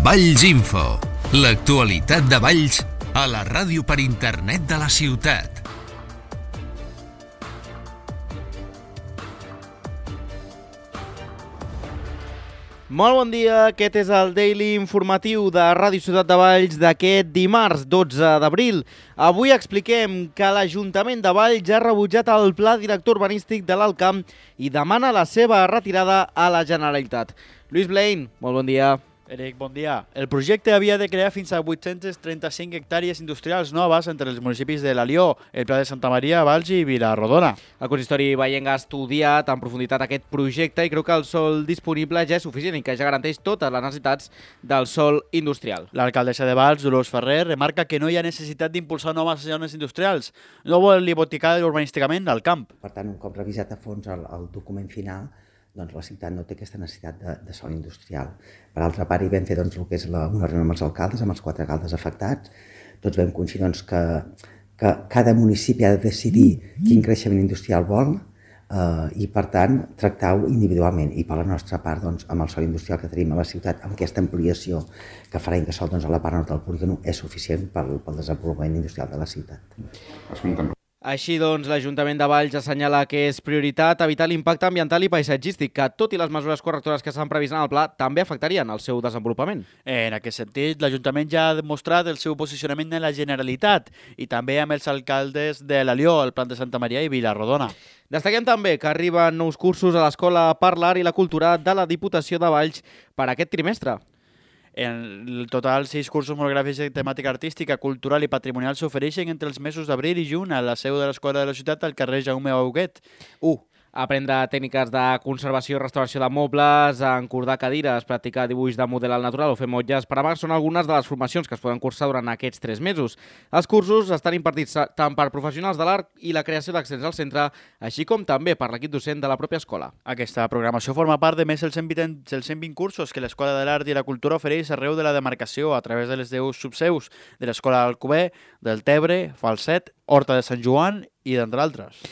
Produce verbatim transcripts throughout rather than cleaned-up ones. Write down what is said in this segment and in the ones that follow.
Valls Info, l'actualitat de Valls a la ràdio per internet de la ciutat. Molt bon dia, aquest és el Daily Informatiu de Ràdio Ciutat de Valls d'aquest dimarts dotze d'abril. Avui expliquem que l'Ajuntament de Valls ha rebutjat el pla director urbanístic de l'Alt Camp i demana la seva retirada a la Generalitat. Lluís Blaine, molt bon dia. Eric, bon dia. El projecte havia de crear fins a vuit-centes trenta-cinc hectàrees industrials noves entre els municipis de l'Alió, el Pla de Santa Maria, Valls i Vila-rodona. El consistori vallenc ha estudiat en profunditat aquest projecte i creu que el sòl disponible ja és suficient i que ja garanteix totes les necessitats del sòl industrial. L'alcaldessa de Valls, Dolors Ferrer, remarca que no hi ha necessitat d'impulsar noves zones industrials. No vol hipotecar urbanísticament al camp. Per tant, un cop revisat a fons el, el document final, doncs la ciutat no té aquesta necessitat de, de sòl industrial. Per altra part, hi vam fer doncs, el que és la, una reunió amb els alcaldes, amb els quatre alcaldes afectats. Tots vam coincidir doncs, que, que cada municipi ha de decidir quin creixement industrial vol eh, i, per tant, tractar-ho individualment. I per la nostra part, doncs, amb el sòl industrial que tenim a la ciutat, amb aquesta ampliació que farà Incasòl doncs, a la part nord del polígon, és suficient pel, pel desenvolupament industrial de la ciutat. Així doncs, l'Ajuntament de Valls assenyala que és prioritat evitar l'impacte ambiental i paisatgístic, que tot i les mesures correctores que s'han previst en el pla també afectarien el seu desenvolupament. En aquest sentit, l'Ajuntament ja ha demostrat el seu posicionament en la Generalitat i també amb els alcaldes de l'Alió, el Pla de Santa Maria i Vila-rodona. Destaquem també que arriben nous cursos a l'Escola per l'Art i la Cultura de la Diputació de Valls per aquest trimestre. En total, sis cursos monogràfics de temàtica artística, cultural i patrimonial s'ofereixen entre els mesos d'abril i juny a la seu de l'Escola de la Ciutat al carrer Jaume Huguet. u. Aprendre tècniques de conservació i restauració de mobles, encordar cadires, practicar dibuix de model al natural o fer motlles per a mà són algunes de les formacions que es poden cursar durant aquests tres mesos. Els cursos estan impartits tant per professionals de l'art i la creació d'accents al centre, així com també per l'equip docent de la pròpia escola. Aquesta programació forma part de més dels cent vint cursos que l'Escola de l'Art i la Cultura ofereix arreu de la demarcació a través de les deu subseus de l'Escola d'Alcover, del Tebre, Falset, Horta de Sant Joan i d'entre altres.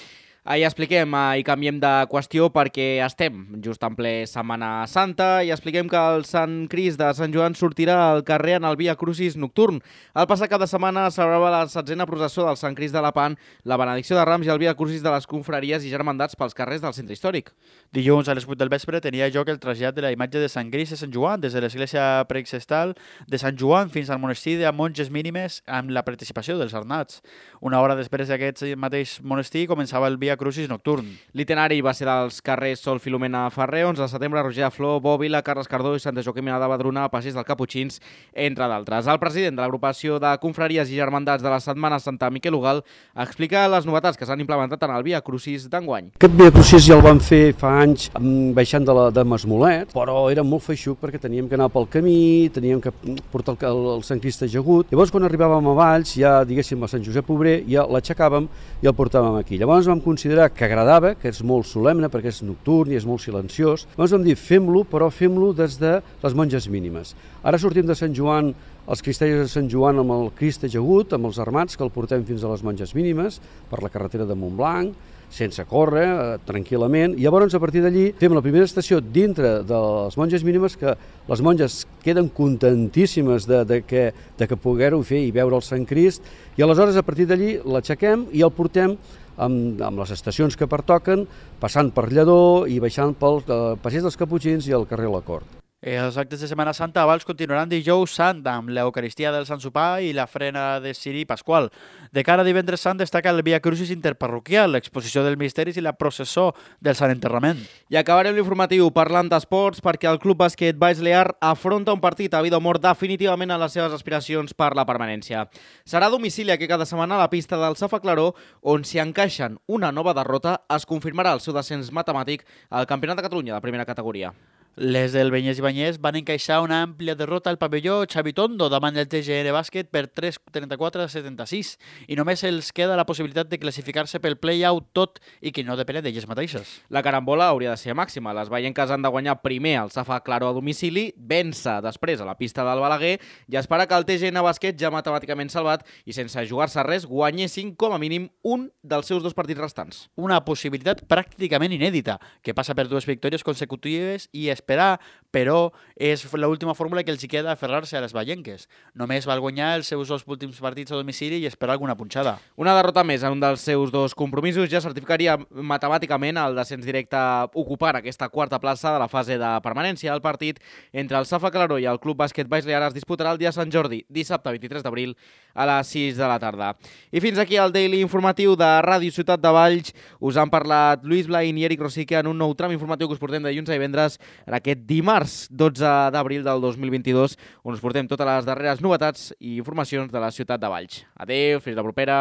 Ahir expliquem i canviem de qüestió perquè estem just en ple Setmana Santa i expliquem que el Sant Crist de Sant Joan sortirà al carrer en el Via Crucis nocturn. El passat cap de setmana celebrava la setzena processó del Sant Crist de Lepant, la benedicció de Rams i el Via Crucis de les confraries i germandats pels carrers del centre històric. Dilluns a les vuit del vespre tenia lloc el trasllat de la imatge de Sant Crist de Sant Joan des de l'església preexestal de Sant Joan fins al monestir de monges mínimes amb la participació dels arnats. Una hora després d'aquest mateix monestir començava el Via Crucis nocturn. L'itinerari va ser dels carrers Sol Filomena Ferrer, onze de setembre, Roger de Flor, Bòbila, Carles Cardó i Santa Joaquimina de Badruna, Passeig dels Caputxins, entre d'altres. El president de l'agrupació de confraries i germandats de la Setmana Santa, Miquel Ugal, explica les novetats que s'han implementat en el Via Crucis d'enguany. Aquest Via Crucis ja el vam fer fa anys baixant de, la, de Masmolet, però era molt feixuc perquè teníem que anar pel camí, teníem que portar el, el Sant Crist ajagut. Llavors, quan arribàvem a Valls, ja diguéssim a Sant Josep Obrer, ja l'aixecàvem i el portàvem aquí. Llavors vam considerar que agradava, que és molt solemne perquè és nocturn i és molt silenciós. Llavors vam dir, fem-lo, però fem-lo des de les monges mínimes. Ara sortim de Sant Joan, els cristellers de Sant Joan amb el Crist ajagut, amb els armats, que el portem fins a les monges mínimes, per la carretera de Montblanc, sense córrer, eh, tranquil·lament. I llavors, a partir d'allí, fem la primera estació dintre de les monges mínimes, que les monges queden contentíssimes de, de que, de que poguer-ho fer i veure el Sant Crist, i aleshores, a partir d'allí, l'aixequem i el portem amb, amb les estacions que pertoquen, passant per Lledó i baixant pel eh, Passeig dels Caputxins i el carrer La Cort. Els actes de Setmana Santa a Valls continuaran dijous sant amb l'Eucaristia del Sant Sopar i la frena de Ciri Pasqual. De cara a divendres sant destaca el Via Crucis interparroquial, l'exposició dels misteris i la processó del Sant Enterrament. I acabarem l'informatiu parlant d'esports perquè el Club Bàsquet Valls Lear afronta un partit a vida o mort definitivament en les seves aspiracions per la permanència. Serà a domicili aquest cada setmana a la pista del Safa Claró, on si encaixen una nova derrota es confirmarà el seu descens matemàtic al Campionat de Catalunya de primera categoria. Les del Benyes i Banyes van encaixar una àmplia derrota al pavelló Xavi Tondo davant del T G N Bàsquet per tres trenta-quatre a setanta-sis i només els queda la possibilitat de classificar-se pel play-out tot i que no depèn d'elles mateixes. La carambola hauria de ser màxima. Les vallenques han de guanyar primer al Safa Claró a domicili, vèncer després a la pista del Balaguer i esperar que el T G N Bàsquet, ja matemàticament salvat i sense jugar-se res, guanyessin com a mínim un dels seus dos partits restants. Una possibilitat pràcticament inèdita, que passa per dues victòries consecutives i esperar, però és l'última fórmula que els hi queda aferrar-se a les vallenques. Només val guanyar els seus dos últims partits a domicili i esperar alguna punxada. Una derrota més en un dels seus dos compromisos ja certificaria matemàticament el descens directe ocupant aquesta quarta plaça de la fase de permanència. El partit entre el Safa Claró i el Club Bàsquet Baix Lear es disputarà el dia Sant Jordi, dissabte vint-i-tres d'abril a les sis de la tarda. I fins aquí el Daily informatiu de Ràdio Ciutat de Valls. Us han parlat Lluís Blain i Eric Rosique en un nou tram informatiu que us portem de dilluns a divendres en aquest dimarts dotze d'abril del dos mil vint-i-dos, on us portem totes les darreres novetats i informacions de la ciutat de Valls. Adéu, fins la propera.